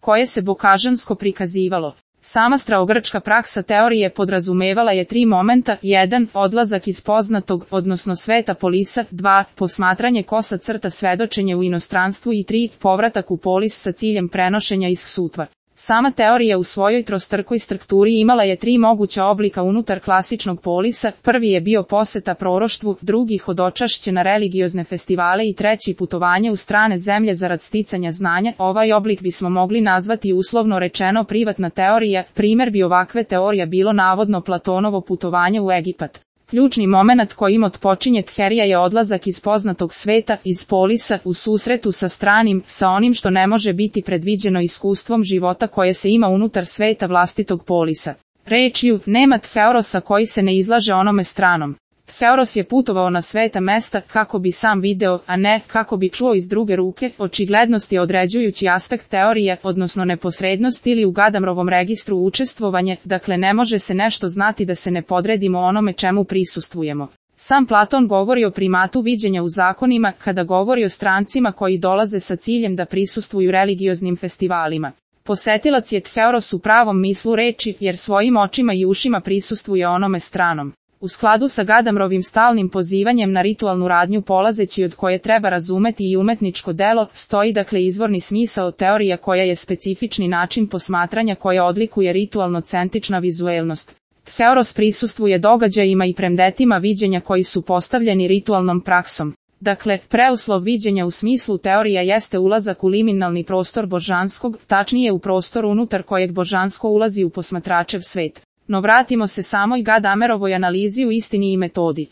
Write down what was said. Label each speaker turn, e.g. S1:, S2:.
S1: koje se bokažansko prikazivalo. Sama starogrčka praksa teorije podrazumevala je 3 momenta: 1. Odlazak iz poznatog, odnosno sveta polisa, 2. Posmatranje kosa crta svedočenje u inostranstvu i 3. Povratak u polis sa ciljem prenošenja iz sutva. Sama teorija u svojoj trostrukoj strukturi imala je 3 moguća oblika unutar klasičnog polisa: prvi je bio poseta proroštvu, drugi hodočašće na religiozne festivale i treći putovanje u strane zemlje zarad sticanja znanja. Ovaj oblik bismo mogli nazvati uslovno rečeno privatna teorija. Primer bi ovakve teorija bilo navodno Platonovo putovanje u Egipat. Ključni moment kojim otpočinje teorija je odlazak iz poznatog sveta, iz polisa, u susretu sa stranim, sa onim što ne može biti predviđeno iskustvom života koje se ima unutar sveta vlastitog polisa. Rečju, nema teorosa koji se ne izlaže onome stranom. Teoros je putovao na sveta mesta kako bi sam video, a ne kako bi čuo iz druge ruke. Očiglednost je određujući aspekt teorije, odnosno neposrednost ili u Gadamrovom registru učestvovanje, dakle ne može se nešto znati da se ne podredimo onome čemu prisustvujemo. Sam Platon govori o primatu viđenja u zakonima kada govori o strancima koji dolaze sa ciljem da prisustvuju religioznim festivalima. Posetilac je teoros u pravom mislu reči, jer svojim očima i ušima prisustvuje onome stranom. U skladu sa Gadamrovim stalnim pozivanjem na ritualnu radnju polazeći od koje treba razumeti i umetničko delo, stoji dakle izvorni smisao teorija koja je specifični način posmatranja koja odlikuje ritualno-centrična vizuelnost. Teoros prisustvuje događajima i predmetima viđenja koji su postavljeni ritualnom praksom. Dakle, preuslov viđenja u smislu teorija jeste ulazak u liminalni prostor božanskog, tačnije u prostor unutar kojeg božansko ulazi u posmatračev svet. No vratimo se samoj Gadamerovoj analizi u istini i metodi.